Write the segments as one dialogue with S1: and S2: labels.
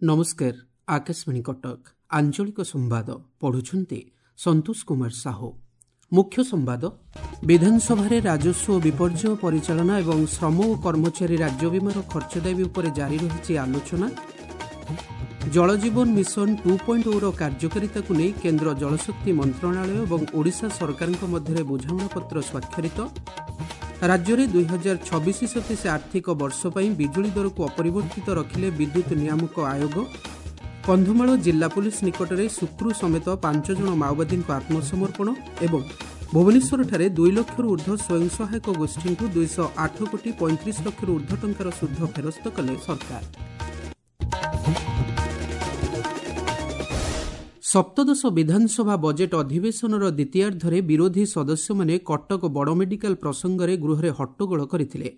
S1: ନମସ୍କାର, ଆକାଶବାଣୀ କଟକ, ଆଞ୍ଚଳିକ ସମ୍ବାଦ ପଢୁଛନ୍ତି ସନ୍ତୋଷ କୁମାର ସାହୁ। ମୁଖ୍ୟ ସମ୍ବାଦ। ବିଧାନସଭାରେ ରାଜସ୍ୱ ଓ ବିପର୍ଯ୍ୟୟ ପରିଚାଳନା ଏବଂ ଶ୍ରମ ଓ କର୍ମଚାରୀ ରାଜ୍ୟ ବୀମାର ଖର୍ଚ୍ଚ ଦାବି ଉପରେ ଜାରି ରହିଛି ଆଲୋଚନା। ଜଳଜୀବନ ମିଶନ 2.0ର କାର୍ଯ୍ୟକାରିତାକୁ ନେଇ କେନ୍ଦ୍ର ଜଳଶକ୍ତି ମନ୍ତ୍ରଣାଳୟ ଏବଂ ଓଡ଼ିଶା ସରକାରଙ୍କ ମଧ୍ୟରେ ବୁଝାମଣାପତ୍ର ସ୍ୱାକ୍ଷରିତ। ରାଜ୍ୟରେ 2026-27 ଆର୍ଥିକ ବର୍ଷ ପାଇଁ ବିଜୁଳି ଦରକୁ ଅପରିବର୍ତ୍ତିତ ରଖିଲେ ବିଦ୍ୟୁତ୍ ନିୟାମକ ଆୟୋଗ। କନ୍ଧମାଳ ଜିଲ୍ଲା ପୁଲିସ୍ ନିକଟରେ ସୁକ୍ରୁ ସମେତ 5 ଜଣ ମାଓବାଦୀଙ୍କ ଆତ୍ମସମର୍ପଣ ଏବଂ ଭୁବନେଶ୍ୱରଠାରେ 2 ଲକ୍ଷରୁ ଉର୍ଦ୍ଧ୍ୱ ସ୍ୱୟଂ ସହାୟକ ଗୋଷ୍ଠୀଙ୍କୁ 208 କୋଟି 35 ଲକ୍ଷରୁ ଉର୍ଦ୍ଧ୍ୱ ଟଙ୍କାର ସୁଧ ଫେରସ୍ତ କଲେ ସରକାର। ସପ୍ତଦଶ ବିଧାନସଭା ବଜେଟ୍ ଅଧିବେଶନର ଦ୍ୱିତୀୟାର୍ଦ୍ଧରେ ବିରୋଧୀ ସଦସ୍ୟମାନେ କଟକ ବଡ଼ ମେଡିକାଲ ପ୍ରସଙ୍ଗରେ ଗୃହରେ ହଟ୍ଟଗୋଳ କରିଥିଲେ।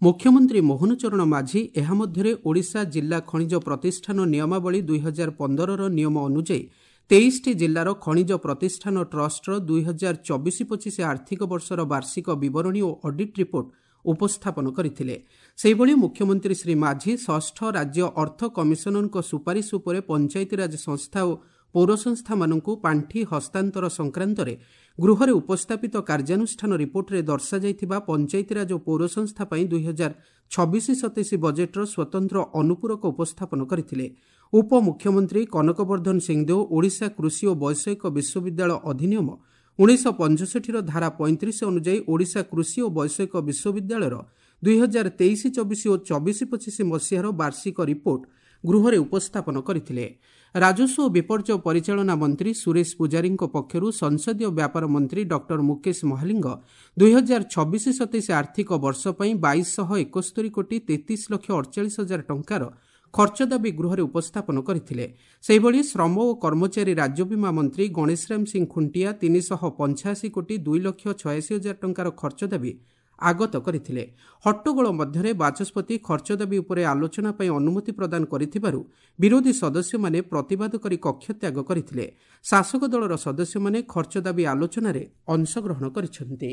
S1: ମୁଖ୍ୟମନ୍ତ୍ରୀ ମୋହନ ଚରଣ ମାଝୀ ଏହା ମଧ୍ୟରେ ଓଡ଼ିଶା ଜିଲ୍ଲା ଖଣିଜ ପ୍ରତିଷ୍ଠାନ ନିୟମାବଳୀ 2015ର ନିୟମ ଅନୁଯାୟୀ 23ଟି ଜିଲ୍ଲାର ଖଣିଜ ପ୍ରତିଷ୍ଠାନ ଟ୍ରଷ୍ଟର 2024-25 ଆର୍ଥିକ ବର୍ଷର ବାର୍ଷିକ ବିବରଣୀ ଓ ଅଡିଟ୍ ରିପୋର୍ଟ ଉପସ୍ଥାପନ କରିଥିଲେ। ସେହିଭଳି ମୁଖ୍ୟମନ୍ତ୍ରୀ ଶ୍ରୀ ମାଝୀ ଷଷ୍ଠ ରାଜ୍ୟ ଅର୍ଥ କମିଶନରଙ୍କ ସୁପାରିଶ ଉପରେ ପଞ୍ଚାୟତିରାଜ ସଂସ୍ଥା ଓ ପୌର ସଂସ୍ଥାମାନଙ୍କୁ ପାଣ୍ଠି ହସ୍ତାନ୍ତର ସଂକ୍ରାନ୍ତରେ ଗୃହରେ ଉପସ୍ଥାପିତ କାର୍ଯ୍ୟାନୁଷ୍ଠାନ ରିପୋର୍ଟରେ ଦର୍ଶାଯାଇଥିବା ପଞ୍ଚାୟତିରାଜ ଓ ପୌର ସଂସ୍ଥା ପାଇଁ 2026-27 ବଜେଟ୍ର ସ୍ୱତନ୍ତ୍ର ଅନୁପୂରକ ଉପସ୍ଥାପନ କରିଥିଲେ। ଉପମୁଖ୍ୟମନ୍ତ୍ରୀ କନକବର୍ଦ୍ଧନ ସିଂଦେଓ ଓଡ଼ିଶା କୃଷି ଓ ବୈଷୟିକ ବିଶ୍ୱବିଦ୍ୟାଳୟ ଅଧିନିୟମ 1965ର ଧାରା 35 ଅନୁଯାୟୀ ଓଡ଼ିଶା କୃଷି ଓ ବୈଷୟିକ ବିଶ୍ୱବିଦ୍ୟାଳୟର 2023-24 ଓ 24-25 ମସିହାର ବାର୍ଷିକ ରିପୋର୍ଟ ଗୃହରେ ଉପସ୍ଥାପନ କରିଥିଲେ। ରାଜସ୍ୱ ଓ ବିପର୍ଯ୍ୟୟ ପରିଚାଳନା ମନ୍ତ୍ରୀ ସୁରେଶ ପୂଜାରୀଙ୍କ ପକ୍ଷରୁ ସଂସଦୀୟ ବ୍ୟାପାର ମନ୍ତ୍ରୀ ଡକ୍ଟର ମୁକେଶ ମହାଲିଙ୍ଗ 2026-27 ଆର୍ଥିକ ବର୍ଷ ପାଇଁ 2271 କୋଟି 33 ଲକ୍ଷ 48 ହଜାର ଟଙ୍କାର ଖର୍ଚ୍ଚ ଦାବି ଗୃହରେ ଉପସ୍ଥାପନ କରିଥିଲେ। ସେହିଭଳି ଶ୍ରମ ଓ କର୍ମଚାରୀ ରାଜ୍ୟ ବୀମା ମନ୍ତ୍ରୀ ଗଣେଶରାମ ସିଂ ଖୁଣ୍ଟିଆ 385 କୋଟି 2 ଲକ୍ଷ 86 ହଜାର ଟଙ୍କାର ଖର୍ଚ୍ଚ ଦାବି ଆଗତ କରିଥିଲେ। ହଟ୍ଟଗୋଳ ମଧ୍ୟରେ ବାଚସ୍ପତି ଖର୍ଚ୍ଚ ଦାବି ଉପରେ ଆଲୋଚନା ପାଇଁ ଅନୁମତି ପ୍ରଦାନ କରିଥିବାରୁ ବିରୋଧୀ ସଦସ୍ୟମାନେ ପ୍ରତିବାଦ କରି କକ୍ଷତ୍ୟାଗ କରିଥିଲେ। ଶାସକ ଦଳର ସଦସ୍ୟମାନେ ଖର୍ଚ୍ଚ ଦାବି ଆଲୋଚନାରେ ଅଂଶଗ୍ରହଣ କରିଛନ୍ତି।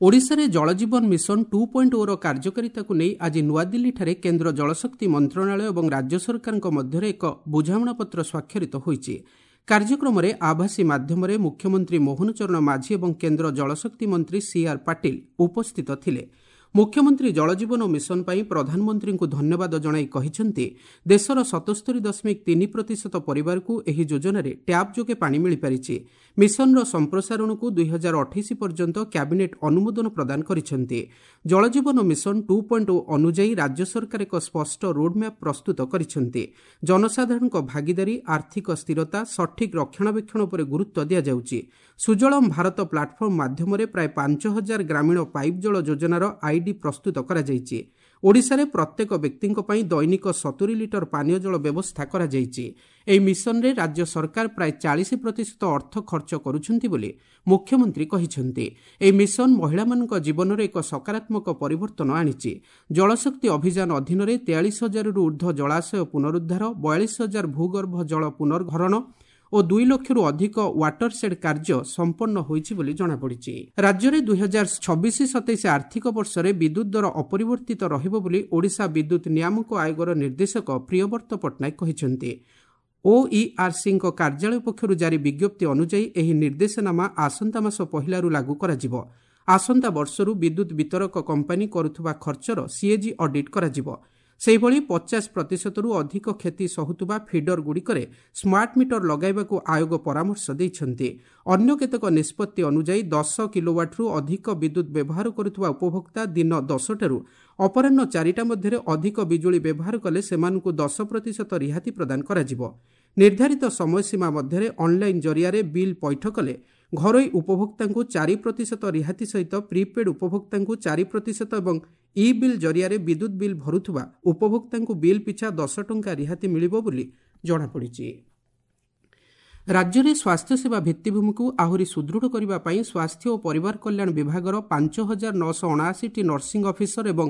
S1: ଓଡ଼ିଶାରେ ଜଳଜୀବନ ମିଶନ 2.0ର କାର୍ଯ୍ୟକାରିତାକୁ ନେଇ ଆଜି ନୂଆଦିଲ୍ଲୀଠାରେ କେନ୍ଦ୍ର ଜଳଶକ୍ତି ମନ୍ତ୍ରଣାଳୟ ଏବଂ ରାଜ୍ୟ ସରକାରଙ୍କ ମଧ୍ୟରେ ଏକ ବୁଝାମଣାପତ୍ର ସ୍ୱାକ୍ଷରିତ ହୋଇଛି। କାର୍ଯ୍ୟକ୍ରମରେ ଆଭାସୀ ମାଧ୍ୟମରେ ମୁଖ୍ୟମନ୍ତ୍ରୀ ମୋହନ ଚରଣ ମାଝୀ ଏବଂ କେନ୍ଦ୍ର ଜଳଶକ୍ତି ମନ୍ତ୍ରୀ ସିଆର୍ ପାଟିଲ ଉପସ୍ଥିତ ଥିଲେ। ମୁଖ୍ୟମନ୍ତ୍ରୀ ଜଳଜୀବନ ମିଶନ ପାଇଁ ପ୍ରଧାନମନ୍ତ୍ରୀଙ୍କୁ ଧନ୍ୟବାଦ ଜଣାଇ କହିଛନ୍ତି, ଦେଶର 77.3% ପରିବାରକୁ ଏହି ଯୋଜନାରେ ଟ୍ୟାପ୍ ଯୋଗେ ପାଣି ମିଳିପାରିଛି। ମିଶନର ସମ୍ପ୍ରସାରଣକୁ 2028 ପର୍ଯ୍ୟନ୍ତ କ୍ୟାବିନେଟ୍ ଅନୁମୋଦନ ପ୍ରଦାନ କରିଛନ୍ତି। ଜଳଜୀବନ ମିଶନ 2.0 ଅନୁଯାୟୀ ରାଜ୍ୟ ସରକାର ଏକ ସ୍ପଷ୍ଟ ରୋଡ୍ମ୍ୟାପ୍ ପ୍ରସ୍ତୁତ କରିଛନ୍ତି। ଜନସାଧାରଣଙ୍କ ଭାଗିଦାରୀ, ଆର୍ଥିକ ସ୍ଥିରତା, ସଠିକ୍ ରକ୍ଷଣାବେକ୍ଷଣ ଉପରେ ଗୁରୁତ୍ୱ ଦିଆଯାଉଛି। ସୁଜଳମ ଭାରତ ପ୍ଲାଟଫର୍ମ ମାଧ୍ୟମରେ ପ୍ରାୟ 5000 ଗ୍ରାମୀଣ ପାଇପ୍ ଜଳ ଯୋଜନାର ଆଇଡି ପ୍ରସ୍ତୁତ କରାଯାଇଛି। ଓଡ଼ିଶାରେ ପ୍ରତ୍ୟେକ ବ୍ୟକ୍ତିଙ୍କ ପାଇଁ ଦୈନିକ 70 ଲିଟର ପାନୀୟ ଜଳ ବ୍ୟବସ୍ଥା କରାଯାଇଛି। ଏହି ମିଶନରେ ରାଜ୍ୟ ସରକାର ପ୍ରାୟ 40% ଅର୍ଥ ଖର୍ଚ୍ଚ କରୁଛନ୍ତି ବୋଲି ମୁଖ୍ୟମନ୍ତ୍ରୀ କହିଛନ୍ତି। ଏହି ମିଶନ ମହିଳାମାନଙ୍କ ଜୀବନରେ ଏକ ସକାରାତ୍ମକ ପରିବର୍ତ୍ତନ ଆଣିଛି। ଜଳଶକ୍ତି ଅଭିଯାନ ଅଧୀନରେ 43 ହଜାରରୁ ଉର୍ଦ୍ଧ୍ୱ ଜଳାଶୟ ପୁନରୁଦ୍ଧାର, 42 ହଜାର ଭୂଗର୍ଭ ଜଳ ପୁନର୍ଭରଣ ଓ 2 ଲକ୍ଷରୁ ଅଧିକ ୱାଟରସେଡ୍ କାର୍ଯ୍ୟ ସମ୍ପନ୍ନ ହୋଇଛି ବୋଲି ଜଣାପଡ଼ିଛି। ରାଜ୍ୟରେ 2026-27 ଆର୍ଥିକ ବର୍ଷରେ ବିଦ୍ୟୁତ୍ ଦର ଅପରିବର୍ତ୍ତିତ ରହିବ ବୋଲି ଓଡ଼ିଶା ବିଦ୍ୟୁତ୍ ନିୟାମକ ଆୟୋଗର ନିର୍ଦ୍ଦେଶକ ପ୍ରିୟବ୍ରତ ପଟ୍ଟନାୟକ କହିଛନ୍ତି। ଓଇଆର୍ସିଙ୍କ କାର୍ଯ୍ୟାଳୟ ପକ୍ଷରୁ ଜାରି ବିଜ୍ଞପ୍ତି ଅନୁଯାୟୀ ଏହି ନିର୍ଦ୍ଦେଶନାମା ଆସନ୍ତା ମାସ ପହିଲାରୁ ଲାଗୁ କରାଯିବ। ଆସନ୍ତା ବର୍ଷରୁ ବିଦ୍ୟୁତ୍ ବିତରକ କମ୍ପାନୀ କରୁଥିବା ଖର୍ଚ୍ଚର ସିଏଜି ଅଡିଟ୍ କରାଯିବ। ସେହିଭଳି 50%ରୁ ଅଧିକ କ୍ଷତି ସହୁଥିବା ଫିଡରଗୁଡ଼ିକରେ ସ୍ମାର୍ଟ ମିଟର ଲଗାଇବାକୁ ଆୟୋଗ ପରାମର୍ଶ ଦେଇଛନ୍ତି। ଅନ୍ୟ କେତେକ ନିଷ୍ପତ୍ତି ଅନୁଯାୟୀ 10 କିଲୋୱାଟ୍ରୁ ଅଧିକ ବିଦ୍ୟୁତ୍ ବ୍ୟବହାର କରୁଥିବା ଉପଭୋକ୍ତା ଦିନ 10ଟାରୁ ଅପରାହ୍ନ 4ଟା ମଧ୍ୟରେ ଅଧିକ ବିଜୁଳି ବ୍ୟବହାର କଲେ ସେମାନଙ୍କୁ 10% ରିହାତି ପ୍ରଦାନ କରାଯିବ। ନିର୍ଦ୍ଧାରିତ ସମୟସୀମା ମଧ୍ୟରେ ଅନ୍ଲାଇନ୍ ଜରିଆରେ ବିଲ୍ ପୈଠ କଲେ ଘରୋଇ ଉପଭୋକ୍ତାଙ୍କୁ 4% ରିହାତି ସହିତ ପ୍ରିପେଡ୍ ଉପଭୋକ୍ତାଙ୍କୁ 4% ଏବଂ ଇ ବିଲ୍ ଜରିଆରେ ବିଦ୍ୟୁତ୍ ବିଲ୍ ଭରୁଥିବା ଉପଭୋକ୍ତାଙ୍କୁ ବିଲ୍ ପିଛା 10 ଟଙ୍କା ରିହାତି ମିଳିବ ବୋଲି ଜଣାପଡ଼ିଛି। ରାଜ୍ୟରେ ସ୍ୱାସ୍ଥ୍ୟସେବା ଭିତ୍ତିଭୂମିକୁ ଆହୁରି ସୁଦୃଢ଼ କରିବା ପାଇଁ ସ୍ୱାସ୍ଥ୍ୟ ଓ ପରିବାର କଲ୍ୟାଣ ବିଭାଗର 5979ଟି ନର୍ସିଂ ଅଫିସର ଏବଂ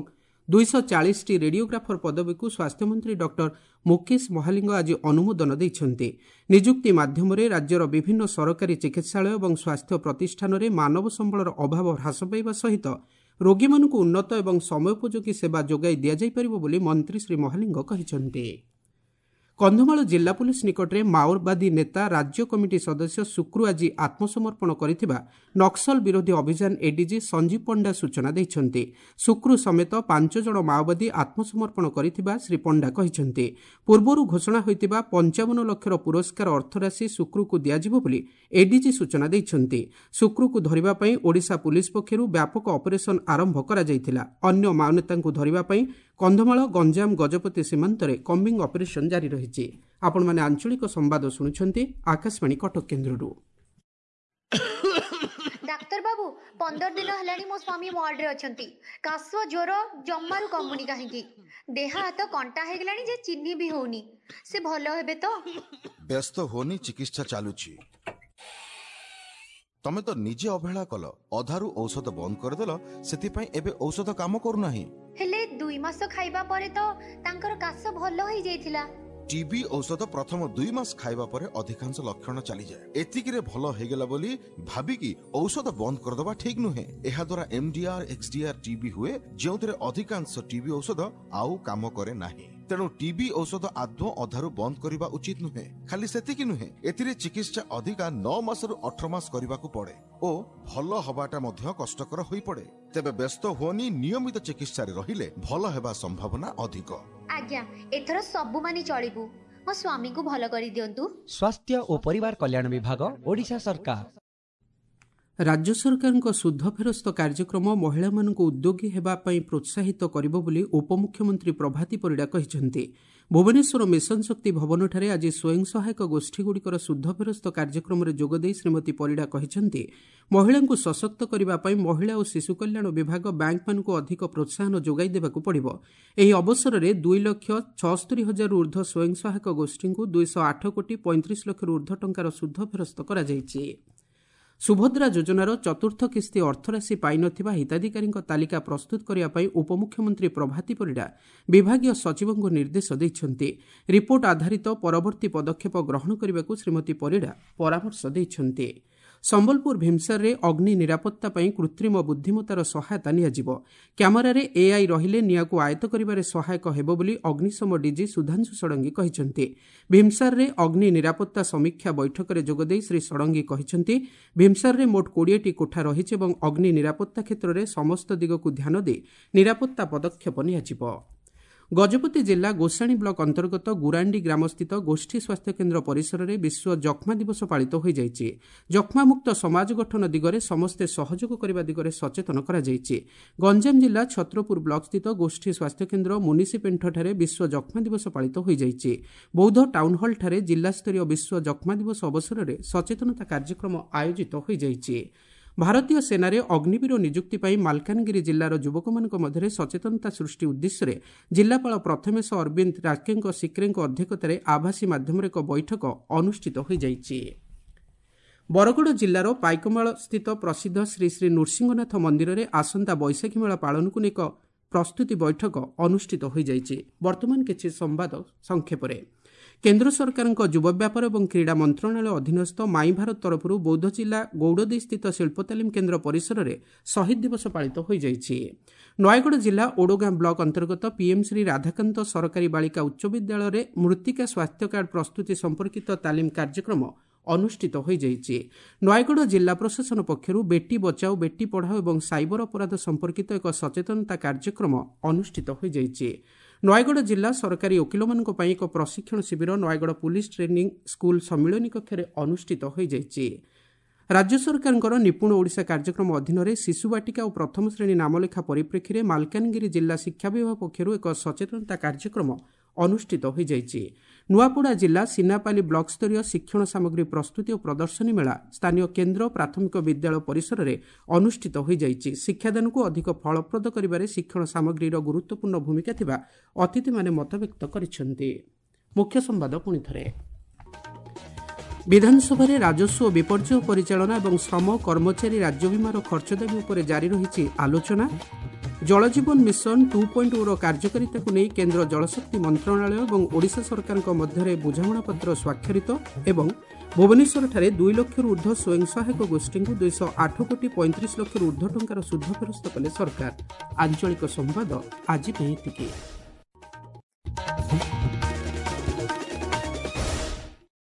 S1: 240ଟି ରେଡିଓଗ୍ରାଫର ପଦବୀକୁ ସ୍ୱାସ୍ଥ୍ୟମନ୍ତ୍ରୀ ଡକ୍ଟର ମୁକେଶ ମହାଲିଙ୍ଗ ଆଜି ଅନୁମୋଦନ ଦେଇଛନ୍ତି। ନିଯୁକ୍ତି ମାଧ୍ୟମରେ ରାଜ୍ୟର ବିଭିନ୍ନ ସରକାରୀ ଚିକିତ୍ସାଳୟ ଏବଂ ସ୍ୱାସ୍ଥ୍ୟ ପ୍ରତିଷ୍ଠାନରେ ମାନବ ସମ୍ବଳର ଅଭାବ ହ୍ରାସ ପାଇବା ସହିତ ରୋଗୀମାନଙ୍କୁ ଉନ୍ନତ ଏବଂ ସମୟୋପଯୋଗୀ ସେବା ଯୋଗାଇ ଦିଆଯାଇପାରିବ ବୋଲି ମନ୍ତ୍ରୀ ଶ୍ରୀ ମହାଲିଙ୍ଗ କହିଛନ୍ତି। କନ୍ଧମାଳ ଜିଲ୍ଲା ପୁଲିସ୍ ନିକଟରେ ମାଓବାଦୀ ନେତା ରାଜ୍ୟ କମିଟି ସଦସ୍ୟ ଶୁକ୍ରୁ ଆଜି ଆତ୍ମସମର୍ପଣ କରିଥିବା ନକ୍ସଲ ବିରୋଧୀ ଅଭିଯାନ ଏଡିଜି ସଞ୍ଜୀବ ପଣ୍ଡା ସୂଚନା ଦେଇଛନ୍ତି। ଶୁକ୍ରୁ ସମେତ 5 ଜଣ ମାଓବାଦୀ ଆତ୍ମସମର୍ପଣ କରିଥିବା ଶ୍ରୀ ପଣ୍ଡା କହିଛନ୍ତି। ପୂର୍ବରୁ ଘୋଷଣା ହୋଇଥିବା 55 ଲକ୍ଷର ପୁରସ୍କାର ଅର୍ଥରାଶି ଶୁକ୍ରୁକୁ ଦିଆଯିବ ବୋଲି ଏଡିଜି ସୂଚନା ଦେଇଛନ୍ତି। ଶୁକ୍ରୁକୁ ଧରିବା ପାଇଁ ଓଡ଼ିଶା ପୁଲିସ୍ ପକ୍ଷରୁ ବ୍ୟାପକ ଅପରେସନ୍ ଆରମ୍ଭ କରାଯାଇଥିଲା। ଅନ୍ୟ ମାଓନେତାଙ୍କୁ ଧରିବା ପାଇଁ କନ୍ଧମାଳ, ଗଞ୍ଜାମ, ଗଜପତି ସୀମାନ୍ତରେ କମ୍ବିଂ ଅପରେସନ୍ ଜାରି ରହିଛି। ଆପଣମାନେ ଆଞ୍ଚଳିକ ସମ୍ବାଦ ଶୁଣୁଛନ୍ତି ଆକାଶବାଣୀ କଟକ କେନ୍ଦ୍ରରୁ।
S2: ଡାକ୍ତର ବାବୁ, 15 ଦିନ ହେଲାଣି ମୋ ସ୍ୱାମୀ ୱାର୍ଡରେ ଅଛନ୍ତି। କାଶ ଜ୍ୱର ଜମାରୁ କମୁନି କାହିଁକି? ଦେହ ହାତ କଣ୍ଟା ହେଇଗଲାଣି ଯେ ଚିହ୍ନି ବି ହଉନି। ସେ ଭଲ ହେବେ ତ?
S3: ବ୍ୟସ୍ତ ହୁଅନି, ଚିକିତ୍ସା ଚାଲୁଛି। ତମେ ତ ନିଜେ ଅବହେଳା କଲ, ଅଧାରୁ ଔଷଧ ବନ୍ଦ କରିଦେଲ, ସେଥିପାଇଁ ଏବେ ଔଷଧ କାମ କରୁନାହିଁ।
S2: ହେଲେ 2 ମାସ ଖାଇବା ପରେ ତ ତାଙ୍କର କାଶ ଭଲ ହେଇଯାଇଥିଲା।
S3: ଟିବି ଔଷଧ ପ୍ରଥମ 2 ମାସ ଖାଇବା ପରେ ଅଧିକାଂଶ ଲକ୍ଷଣ ଚାଲିଯାଏ। ଏତିକିରେ ଭଲ ହେଇଗଲା ବୋଲି ଭାବିକି ଔଷଧ ବନ୍ଦ କରିଦେବା ଠିକ୍ ନୁହେଁ। ଏହାଦ୍ୱାରା ଏମଡିଆର, ଏକ୍ସଡିଆର ଟିବି ହୁଏ, ଯେଉଁଥିରେ ଅଧିକାଂଶ ଟିବି ଔଷଧ ଆଉ କାମ କରେ ନାହିଁ। ତେଣୁ ଟିବି ଔଷଧ ଆଦୌ ଅଧାରୁ ବନ୍ଦ କରିବା ଉଚିତ ନୁହେଁ। ଖାଲି ସେତିକି ନୁହେଁ, ଏଥିରେ ଚିକିତ୍ସା ଅଧିକା 9 ମାସରୁ 18 ମାସ କରିବାକୁ ପଡେ ଓ ଭଲ ହବାଟା ମଧ୍ୟ କଷ୍ଟକର ହୋଇପଡେ। ତେବେ ବ୍ୟସ୍ତ ହୁଅନି, ନିୟମିତ ଚିକିତ୍ସାରେ ରହିଲେ ଭଲ ହେବା ସମ୍ଭାବନା ଅଧିକ।
S2: ଆଜ୍ଞା, ଏଥର ସବୁ ମାନି ଚଳିବୁ। ମୋ ସ୍ୱାମୀଙ୍କୁ ଭଲ କରିଦିଅନ୍ତୁ।
S4: ସ୍ୱାସ୍ଥ୍ୟ ଓ ପରିବାର କଲ୍ୟାଣ ବିଭାଗ, ଓଡ଼ିଶା ସରକାର।
S1: ରାଜ୍ୟ ସରକାରଙ୍କ ସୁଧ ଫେରସ୍ତ କାର୍ଯ୍ୟକ୍ରମ ମହିଳାମାନଙ୍କୁ ଉଦ୍ୟୋଗୀ ହେବା ପାଇଁ ପ୍ରୋତ୍ସାହିତ କରିବ ବୋଲି ଉପମୁଖ୍ୟମନ୍ତ୍ରୀ ପ୍ରଭାତୀ ପରିଡ଼ା କହିଛନ୍ତି। ଭୁବନେଶ୍ୱର ମିଶନ ଶକ୍ତି ଭବନଠାରେ ଆଜି ସ୍ୱୟଂ ସହାୟକ ଗୋଷ୍ଠୀଗୁଡ଼ିକର ସୁଧ ଫେରସ୍ତ କାର୍ଯ୍ୟକ୍ରମରେ ଯୋଗଦେଇ ଶ୍ରୀମତୀ ପରିଡ଼ା କହିଛନ୍ତି, ମହିଳାଙ୍କୁ ସଶକ୍ତ କରିବା ପାଇଁ ମହିଳା ଓ ଶିଶୁ କଲ୍ୟାଣ ବିଭାଗ ବ୍ୟାଙ୍କମାନଙ୍କୁ ଅଧିକ ପ୍ରୋତ୍ସାହନ ଯୋଗାଇ ଦେବାକୁ ପଡ଼ିବ। ଏହି ଅବସରରେ 2,76,000ରୁ ଉର୍ଦ୍ଧ୍ୱ ସ୍ୱୟଂ ସହାୟକ ଗୋଷ୍ଠୀଙ୍କୁ 208 କୋଟି 35 ଲକ୍ଷରୁ ଉର୍ଦ୍ଧ୍ୱ ଟଙ୍କାର ସୁଧ ଫେରସ୍ତ କରାଯାଇଛି। ସୁଭଦ୍ରା ଯୋଜନାର ଚତୁର୍ଥ କିସ୍ତି ଅର୍ଥରାଶି ପାଇନଥିବା ହିତାଧିକାରୀଙ୍କ ତାଲିକା ପ୍ରସ୍ତୁତ କରିବା ପାଇଁ ଉପମୁଖ୍ୟମନ୍ତ୍ରୀ ପ୍ରଭାତୀ ପରିଡ଼ା ବିଭାଗୀୟ ସଚିବଙ୍କୁ ନିର୍ଦ୍ଦେଶ ଦେଇଛନ୍ତି। ରିପୋର୍ଟ ଆଧାରିତ ପରବର୍ତ୍ତୀ ପଦକ୍ଷେପ ଗ୍ରହଣ କରିବାକୁ ଶ୍ରୀମତୀ ପରିଡ଼ା ପରାମର୍ଶ ଦେଇଛନ୍ତି। ସମ୍ବଲପୁର ଭୀମସାରରେ ଅଗ୍ନି ନିରାପତ୍ତା ପାଇଁ କୃତ୍ରିମ ବୁଦ୍ଧିମତାର ସହାୟତା ନିଆଯିବ। କ୍ୟାମେରାରେ ଏଆଇ ରହିଲେ ନିଆଁକୁ ଆୟତ୍ତ କରିବାରେ ସହାୟକ ହେବ ବୋଲି ଅଗ୍ନିଶମ ଡିଜି ସୁଧାଂଶୁ ଷଡ଼ଙ୍ଗୀ କହିଛନ୍ତି। ଭୀମସାରରେ ଅଗ୍ନି ନିରାପତ୍ତା ସମୀକ୍ଷା ବୈଠକରେ ଯୋଗଦେଇ ଶ୍ରୀ ଷଡ଼ଙ୍ଗୀ କହିଛନ୍ତି, ଭୀମସାରରେ ମୋଟ 20ଟି କୋଠା ରହିଛି ଏବଂ ଅଗ୍ନି ନିରାପତ୍ତା କ୍ଷେତ୍ରରେ ସମସ୍ତ ଦିଗକୁ ଧ୍ୟାନ ଦେଇ ନିରାପତ୍ତା ପଦକ୍ଷେପ ନିଆଯିବ। ଗଜପତି ଜିଲ୍ଲା ଗୋସାଣୀ ବ୍ଲକ ଅନ୍ତର୍ଗତ ଗୁରାଣ୍ଡି ଗ୍ରାମସ୍ଥିତ ଗୋଷ୍ଠୀ ସ୍ୱାସ୍ଥ୍ୟକେନ୍ଦ୍ର ପରିସରରେ ବିଶ୍ୱ ଯକ୍ଷ୍ମା ଦିବସ ପାଳିତ ହୋଇଯାଇଛି। ଯକ୍ଷ୍ମାମୁକ୍ତ ସମାଜ ଗଠନ ଦିଗରେ ସମସ୍ତେ ସହଯୋଗ କରିବା ଦିଗରେ ସଚେତନ କରାଯାଇଛି। ଗଞ୍ଜାମ ଜିଲ୍ଲା ଛତ୍ରପୁର ବ୍ଲକସ୍ଥିତ ଗୋଷ୍ଠୀ ସ୍ୱାସ୍ଥ୍ୟକେନ୍ଦ୍ର ମୁନିସିପେଣ୍ଠଠାରେ ବିଶ୍ୱ ଯକ୍ଷ୍ମା ଦିବସ ପାଳିତ ହୋଇଯାଇଛି। ବୌଦ୍ଧ ଟାଉନହଲଠାରେ ଜିଲ୍ଲାସ୍ତରୀୟ ବିଶ୍ୱ ଯକ୍ଷ୍ମା ଦିବସ ଅବସରରେ ସଚେତନତା କାର୍ଯ୍ୟକ୍ରମ ଆୟୋଜିତ ହୋଇଯାଇଛି। ଭାରତୀୟ ସେନାରେ ଅଗ୍ନିବୀର ନିଯୁକ୍ତି ପାଇଁ ମାଲକାନଗିରି ଜିଲ୍ଲାର ଯୁବକମାନଙ୍କ ମଧ୍ୟରେ ସଚେତନତା ସୃଷ୍ଟି ଉଦ୍ଦେଶ୍ୟରେ ଜିଲ୍ଲାପାଳ ପ୍ରଥମେଶ ଅରବିନ୍ଦ ରାକେଙ୍କ ସିକ୍ରେଙ୍କ ଅଧ୍ୟକ୍ଷତାରେ ଆଭାସୀ ମାଧ୍ୟମରେ ଏକ ବୈଠକ ଅନୁଷ୍ଠିତ ହୋଇଯାଇଛି। ବରଗଡ଼ ଜିଲ୍ଲାର ପାଇକମାଳ ସ୍ଥିତ ପ୍ରସିଦ୍ଧ ଶ୍ରୀ ଶ୍ରୀ ନୃସିଂହନାଥ ମନ୍ଦିରରେ ଆସନ୍ତା ବୈଶାଖୀ ମେଳା ପାଳନକୁ ନେଇ ଏକ ପ୍ରସ୍ତୁତି ବୈଠକ ଅନୁଷ୍ଠିତ ହୋଇଯାଇଛି। ବର୍ତ୍ତମାନ କିଛି ସମ୍ବାଦ ସଂକ୍ଷେପରେ। କେନ୍ଦ୍ର ସରକାରଙ୍କ ଯୁବ ବ୍ୟାପାର ଏବଂ କ୍ରୀଡ଼ା ମନ୍ତ୍ରଣାଳୟ ଅଧୀନସ୍ଥ ମାଇ ଭାରତ ତରଫରୁ ବୌଦ୍ଧ ଜିଲ୍ଲା ଗୌଡ଼ଦେଇସ୍ଥିତ ଶିଳ୍ପ ତାଲିମ କେନ୍ଦ୍ର ପରିସରରେ ଶହୀଦ ଦିବସ ପାଳିତ ହୋଇଯାଇଛି। ନୟାଗଡ଼ ଜିଲ୍ଲା ଓଡ଼ଗାଁ ବ୍ଲକ ଅନ୍ତର୍ଗତ ପିଏମ୍ ଶ୍ରୀ ରାଧାକାନ୍ତ ସରକାରୀ ବାଳିକା ଉଚ୍ଚ ବିଦ୍ୟାଳୟରେ ମୃତ୍ତିକା ସ୍ୱାସ୍ଥ୍ୟ କାର୍ଡ ପ୍ରସ୍ତୁତି ସମ୍ପର୍କିତ ତାଲିମ କାର୍ଯ୍ୟକ୍ରମ ଅନୁଷ୍ଠିତ ହୋଇଯାଇଛି। ନୟାଗଡ଼ ଜିଲ୍ଲା ପ୍ରଶାସନ ପକ୍ଷରୁ ବେଟି ବଚାଓ ବେଟି ପଢ଼ାଓ ଏବଂ ସାଇବର ଅପରାଧ ସମ୍ପର୍କିତ ଏକ ସଚେତନତା କାର୍ଯ୍ୟକ୍ରମ ଅନୁଷ୍ଠିତ ହୋଇଯାଇଛି। ନୟାଗଡ଼ ଜିଲ୍ଲା ସରକାରୀ ଓକିଲମାନଙ୍କ ପାଇଁ ଏକ ପ୍ରଶିକ୍ଷଣ ଶିବିର ନୟାଗଡ଼ ପୁଲିସ ଟ୍ରେନିଂ ସ୍କୁଲ ସମ୍ମିଳନୀ କକ୍ଷରେ ଅନୁଷ୍ଠିତ ହୋଇଯାଇଛି। ରାଜ୍ୟ ସରକାରଙ୍କର ନିପୁଣ ଓଡ଼ିଶା କାର୍ଯ୍ୟକ୍ରମ ଅଧୀନରେ ଶିଶୁ ବାଟିକା ଓ ପ୍ରଥମ ଶ୍ରେଣୀ ନାମଲେଖା ପରିପ୍ରେକ୍ଷୀରେ ମାଲକାନଗିରି ଜିଲ୍ଲା ଶିକ୍ଷା ବିଭାଗ ପକ୍ଷରୁ ଏକ ସଚେତନତା କାର୍ଯ୍ୟକ୍ରମ ଅନୁଷ୍ଠିତ ହୋଇଯାଇଛି। ନୂଆପଡ଼ା ଜିଲ୍ଲା ସିନାପାଲି ବ୍ଲକସ୍ତରୀୟ ଶିକ୍ଷଣ ସାମଗ୍ରୀ ପ୍ରସ୍ତୁତି ଓ ପ୍ରଦର୍ଶନୀ ମେଳା ସ୍ଥାନୀୟ କେନ୍ଦ୍ର ପ୍ରାଥମିକ ବିଦ୍ୟାଳୟ ପରିସରରେ ଅନୁଷ୍ଠିତ ହୋଇଯାଇଛି। ଶିକ୍ଷାଦାନକୁ ଅଧିକ ଫଳପ୍ରଦ କରିବାରେ ଶିକ୍ଷଣ ସାମଗ୍ରୀର ଗୁରୁତ୍ୱପୂର୍ଣ୍ଣ ଭୂମିକା ଥିବା ଅତିଥିମାନେ ମତବ୍ୟକ୍ତ କରିଛନ୍ତି। ମୁଖ୍ୟ ସମ୍ବାଦ ପୁଣିଥରେ। ବିଧାନସଭାରେ ରାଜସ୍ୱ ଓ ବିପର୍ଯ୍ୟୟ ପରିଚାଳନା ଏବଂ ଶ୍ରମ କର୍ମଚାରୀ ରାଜ୍ୟ ବୀମାର ଖର୍ଚ୍ଚ ଦାବି ଉପରେ ଜାରି ରହିଛି ଆଲୋଚନା। ଜଳଜୀବନ ମିଶନ 2.0ର କାର୍ଯ୍ୟକାରିତାକୁ ନେଇ କେନ୍ଦ୍ର ଜଳଶକ୍ତି ମନ୍ତ୍ରଣାଳୟ ଏବଂ ଓଡ଼ିଶା ସରକାରଙ୍କ ମଧ୍ୟରେ ବୁଝାମଣାପତ୍ର ସ୍ୱାକ୍ଷରିତ ଏବଂ ଭୁବନେଶ୍ୱରଠାରେ 2 ଲକ୍ଷରୁ ଉର୍ଦ୍ଧ୍ୱ ସ୍ୱୟଂ ସହାୟକ ଗୋଷ୍ଠୀଙ୍କୁ 208 କୋଟି 35 ଲକ୍ଷରୁ ଉର୍ଦ୍ଧ୍ୱ ଟଙ୍କାର ସୁଧ ଫେରସ୍ତ କଲେ ସରକାର। ଆଞ୍ଚଳିକ ସମ୍ବାଦ ଆଜି ପାଇଁ ଏତିକି।